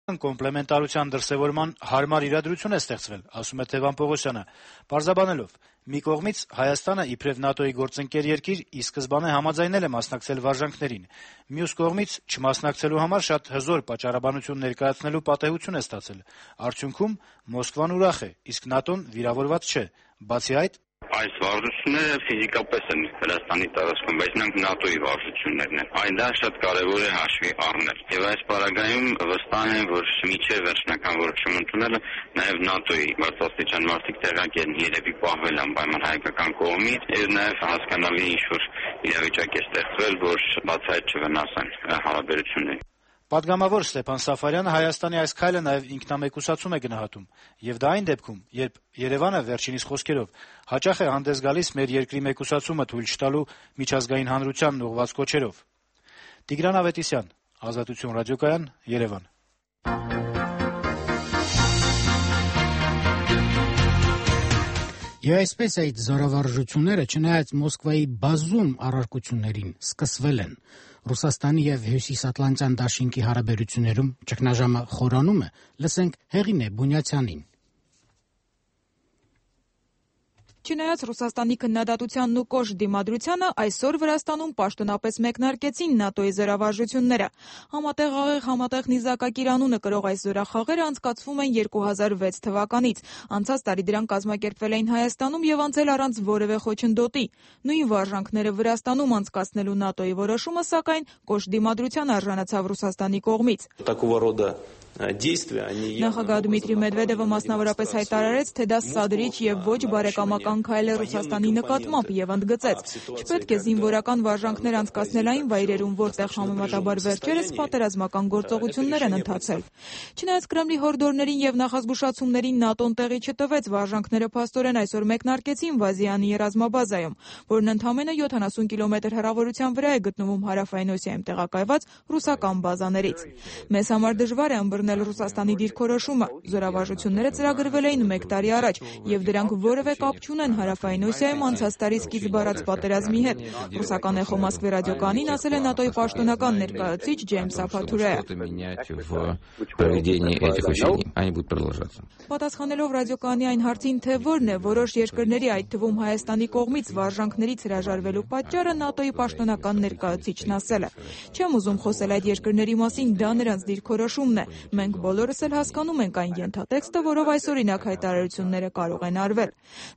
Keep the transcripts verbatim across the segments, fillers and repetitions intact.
Կոմպլեմենտարության դրսևորման հարմար իրադրություն է ստեղծվել, ասում է Թևան Պողոսյանը, պարզաբանելով. մի կողմից Հայաստանը իբրև ՆԱՏՕ-ի գործընկեր երկիր ի սկզբանե համաձայնել է մասնակցել վարժանքներին, մյուս կողմից չմասնակցելու համար շատ հզոր պատճառաբանություն ներկայացնելու պատեհություն է ստացել։ Արդյունքում Մոսկվան ուրախ է, իսկ ՆԱՏՕ-ն վիրավորված չէ։ Բացի այդ, այս վարժությունները ֆիզիկապես են Վրաստանի տարածքում, բայց նրանք ՆԱՏՕ-ի վարժություններն են։ Այն դա շատ կարևոր է հաշվի առնել։ Եվ այս պարագայում վստահ եմ, որ միջև վերջնական որոշում ընդունելը նաև ՆԱՏՕ-ի բարձրաստիճան մարդիկ տեղյակ են երևի պահվել անպայման հայկական կողմից, եւ նաև հասկանալի ինչ-որ իրավիճակ է ստեղծվել, որ բացահայտ չվնասեն հարաբերություններին։ Պատգամավոր Ստեփան Սաֆարյանը Հայաստանի այս քայլը նաև ինքնամեկուսացում է գնահատում, եւ դա այն դեպքում, երբ Երևանը վերջինիս խոսքերով հաճախ է հանդես գալիս մեր երկրի մեկուսացումը թույլ չտալու միջազգային հանրությանն ուղղված կոչերով։ Տիգրան Ավետիսյան, Ազատություն ռադիոկայան, Երևան։ Եվ այսպես այդ զորավարժությունները, չնայած Մոսկվայի բազում առարկություններին, սկսվել են։ Ռուսաստանի եւ Հյուսիսատլանտյան դաշինքի հարաբերություններում ճգնաժամը խորանում է, լսենք Հեղինե Բունյացյանին։ Չնայած Ռուսաստանի քննադատությանն ու կոշտ դիմադրությանը, այսօր Վրաստանում պաշտոնապես մեկնարկեցին ՆԱՏՕ-ի զորավարժությունները։ Համատեղ աղեղ համատեղ նիզակակիր անունը կրող այս զորախաղերը անցկացվում են երկու հազար վեց թվականից։ Անցած տարի դրանք կազմակերպվել էին Հայաստանում եւ անցել առանց որևէ խոչընդոտի։ Նույն վարժանքները Վրաստանում անցկացնելու ՆԱՏՕ-ի որոշումը, սակայն, կոշտ դիմադրության արժանացավ Ռուսաստանի կողմից։ Նախագահ Դմիտրի Մեդվեդևը մասնավորապես հայտարարեց, թե դա սադրիչ եւ ոչ բարեկամական քայլ է Ռուսաստանի նկատմամբ եւ ընդգծեց. չպետք է զինվորական վարժանքներ անցկացնել այն վայրերում, որտեղ համեմատաբար վերջերս պատերազմական գործողություններ են ընթացել։ Չնայած Կրեմլի հորդորներին եւ նախազգուշացումներին ՆԱՏՕ-ն տեղի չտվեց, վարժանքները փաստորեն այսօր մեկնարկեցին Վազյանի ռազմաբազայում, որն ընդամենը յոթանասուն կիլոմետր հեռավորության վրա է գտնվում հարավային Օսիայում տեղակայված ռուսական բազաներից։ Մեզ համար դժվար է ըմբռնել Ռուսաստանի դիրքորոշումը։ Զորավարժությունները ծրագրվել էին մեկ տարի առաջ, եւ դրանք որևէ կապ չունեն հարավային Օսիայում անցած տարի սկիզբ առած պատերազմի հետ։ Ռուսական Էխո Մոսկվի ռադիոկայանին ասել է ՆԱՏՕ-ի պաշտոնական ներկայացուցիչ Ջեյմս Ափաթուրեը։ Պատասխանելով ռադիոկայանի այն հարցին, թե որն է որոշ երկրների, այդ թվում Հայաստանի կողմից վարժանքներից հրաժարվելու պատճառը, ՆԱՏՕ-ի պաշտոնական ներկայացուցիչն ասել է. «Չեմ ուզում խոսել այդ երկրների մասին, դա նրանց դիրքորոշումն է։ Մենք բոլորս էլ հասկանում ենք այն ենթատեքստը, որով այսօրինակ հայտարարությունները կարող են արվել»։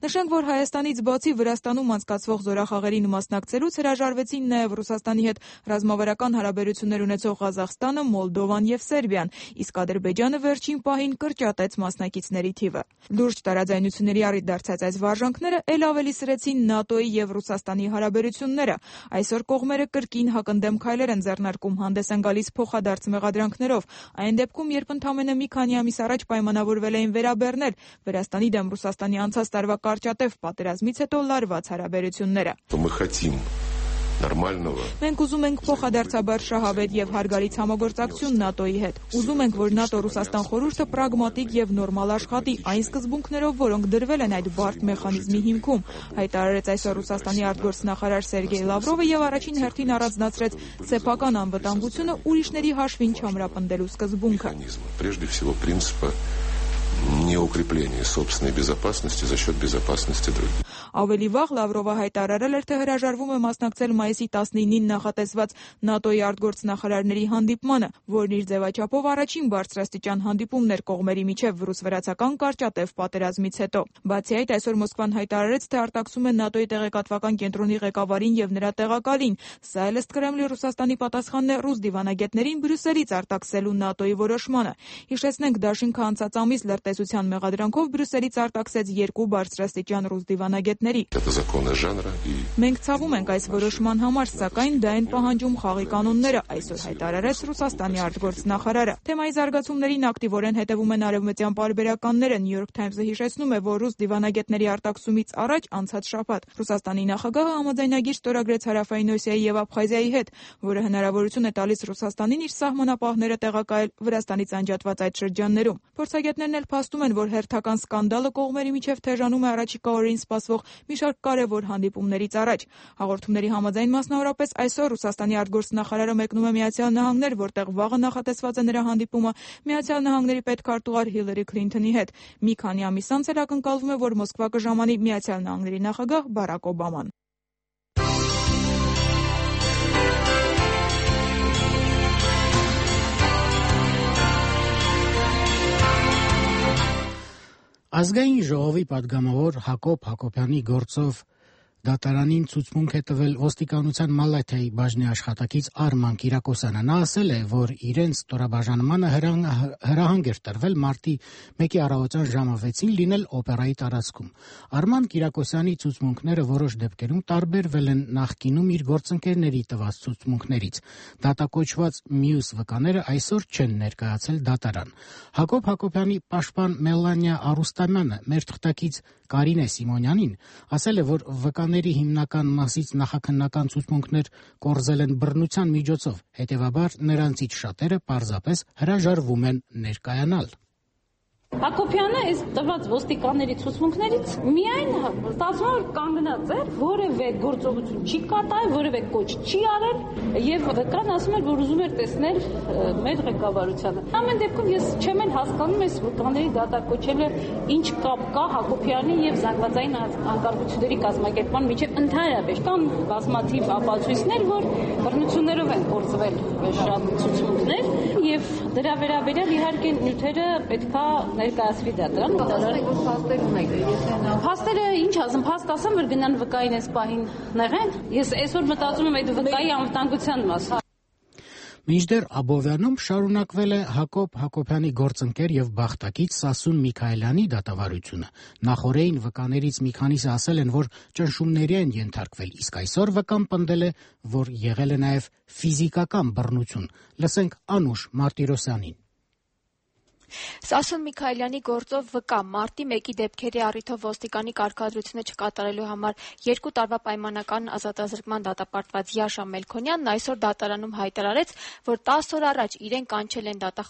Նշենք, որ Հայաստանից բացի Վրաստանում անցկացվող զորախաղերին մասնակցելուց հրաժարվեցին նաև Ռուսաստանի հետ ռազմավարական հարաբերություններ ունեցող Ղազախստանը, Մոլդովան եւ Սերբիան, իսկ Ադրբեջանը վերջին պահին կրճատեց մասնակիցների թիվը։ Լուրջ տարաձայնությունների առիթ դարձած այս վարժանքները ել ավելի սրեցին ՆԱՏՕ-ի եւ Ռուսաստանի հարաբերությունները։ Այսօր կողմերը կրկին հակընդդեմ քայլեր են ձեռնարկում, հանդես են գալիս փոխադարձ մեղադրանքներով։ Այն դեպքում, երբ ընդամենը մի քանի ամիս առաջ պայմանավորվել էին վերաբեռնել Վրաստանի դեմ Ռուսաստանի անցած տարվա կարճատև պատերազմից հետո լարված հարաբերությունները։ Մենք ուզում ենք փոխադարձաբար շահավետ եւ հարգալից համագործակցություն ՆԱՏՕ-ի հետ։ Ուզում ենք, որ ՆԱՏՕ-Ռուսաստան խորհուրդը պրագմատիկ եւ նորմալ աշխատի այն սկզբունքներով, որոնք դրվել են այդ բարդ մեխանիզմի հիմքում, հայտարարեց այսօր Ռուսաստանի արտգործնախարար Սերգեյ Լավրովը եւ առաջին հերթին առանձնացրեց սեփական անվտանգությունը ուրիշների հաշվին չամրապնդելու սկզբունքը։ Не укрепление собственной безопасности за счет безопасности других. Ավելի վաղ Լավրովը հայտարարել էր, թե հրաժարվում է մասնակցել մայիսի տասնինին նախատեսված ՆԱՏՕ-ի արտգործնախարարների հանդիպմանը, որն իր ձևաչափով առաջին բարձրաստիճան հանդիպումն էր կողմերի միջև ռուս-վրացական կարճատև պատերազմից հետո։ Բացի այդ, այսօր Մոսկվան հայտարարեց, թե արտաքսում է ՆԱՏՕ-ի տեղեկատվական կենտրոնի ղեկավարին եւ նրա տեղակալին։ Սա էլ ըստ Կրեմլի Ռուսաստանի պատասխանն է ռուս դիվանագետներին Բրյուսելից արտաքսելու ՆԱՏՕ-ի որոշմանը։ Հիշեցնենք, դաշինքը անցած ամիս լրտեսության մեղադրանքով Բրյուսելից արտաքսեց երկու բարձրաստիճան ռուս դիվանագետներ։ Մենք ցավում ենք այս որոշման համար, սակայն դա են պահանջում խաղի կանոնները, այսօր հայտարարեց Ռուսաստանի արտգործնախարարը։ Թեմայի զարգացումներին ակտիվորեն հետևում են արևմտյան պարբերականները։ New York Times-ը հիշեցնում է, որ ռուս դիվանագետների արտաքսումից առաջ անցած շաբաթ Ռուսաստանի նախագահը համաձայնագիր ստորագրեց Հարավային Օսիայի եւ Աբխազիայի հետ, որը հնարավորություն է տալիս Ռուսաստանին իր սահմանապահները տեղակայել Վրաստանից անջատված այդ շրջաններում։ Փորձագետներն էլ որ փաստում են, որ հերթական սկանդալը կողմերի միջև թեժանում է առաջիկա օրերին սպասվող մի շարք կարևոր հանդիպումներից առաջ։ Հաղորդումների համաձայն մասնավորապես այսօր Ռուսաստանի արտգործնախարարը մեկնում է Միացյալ Նահանգներ, որտեղ վաղը նախատեսված է նրա հանդիպումը Միացյալ Նահանգների պետքարտուղար Հիլարի Քլինթոնի հետ։ Մի քանի ամիս անց էլ ակնկալվում է, որ Մոսկվա կժամանի Միացյալ Նահանգների նախագահ Բարակ Օբաման։ Ազգային ժողովի պատգամավոր Հակոբ Հակոբյանի գործով դատարանին ցուցմունք է տվել ոստիկանության Մալաթիայի բաժնի աշխատակից Արման Կիրակոսյանը։ Նա ասել է, որ իրենց ստորաբաժանմանը հրահանգ էր տրվել մարտի մեկի առավոտյան ժամը վեցին լինել օպերայի տարածքում։ Արման Կիրակոսյանի ցուցմունքները որոշ դեպքերում տարբերվել են նախկինում իր գործընկերների տված ցուցմունքներից։ Դատակոչված մյուս վկաները այսօր չեն ներկայացել դատարան։ Հակոբ Հակոբյանի պաշտպան Մելանիա Արուստամյանը մեր թղթակից Կարինե Սիմոնյանին ասել է, որ վկաների հիմնական մասից նախաքննական ցուցմունքներ կորզել են բռնության միջոցով, հետևաբար նրանցից շատերը պարզապես հրաժարվում են ներկայանալ։ Հակոբյանը այս տված ոստիկանների ցուցմունքներից միայն ստացվում է կանգնած է, որևէ գործողություն չի կատարել, որևէ կոչ չի արել եւ վկան ասում էր, որ ուզում էր տեսնել մեր ղեկավարությանը։ Ամեն դեպքում ես չեմ էլ հասկանում այս վկաների դատակոչելը ինչ կապ կա Հակոբյանի եւ զանգվածային անկարգությունների կազմակերպման միջեւ ընդհանրապես։ Կան բազմաթիվ ապացույցներ, որ բռնություններով են կորզվել շատ ցուցմունքներ եւ դրա վերաբերյալ իհարկե նյութերը պետքա ներկայացվի դատարան։ Փաստեր ունեք, եթե նա Փաստերը ինչ ասեմ, փաստ ասեմ, որ գնան վկային այս պահին նեղեն։ Ես այսօր մտածում եմ այդ վկայի անվտանգության մասին։ Մինչդեռ Աբովյանում շարունակվել է Հակոբ Հակոբյանի գործընկեր եւ բախտակից Սասուն Միքայելյանի դատավարությունը։ Նախորդին վկաներից մի քանիսը ասել են, որ ճնշումների են ենթարկվել, իսկ այսօր վկան պնդել է, որ եղել է նաեւ ֆիզիկական բռնություն։ Լսենք Անուշ Մարտիրոսյանին։ Սասուն Միքայելյանի գործով վկա մարտի մեկի դեպքերի առիթով ոստիկանի կարգադրությունը չկատարելու համար երկու տարվա պայմանական ազատազրկման դատապարտված Յաշա Մելքոնյանն այսօր դատարանում հայտարարեց, որ տասը օր առաջ իրեն կանչել են դատախազությունը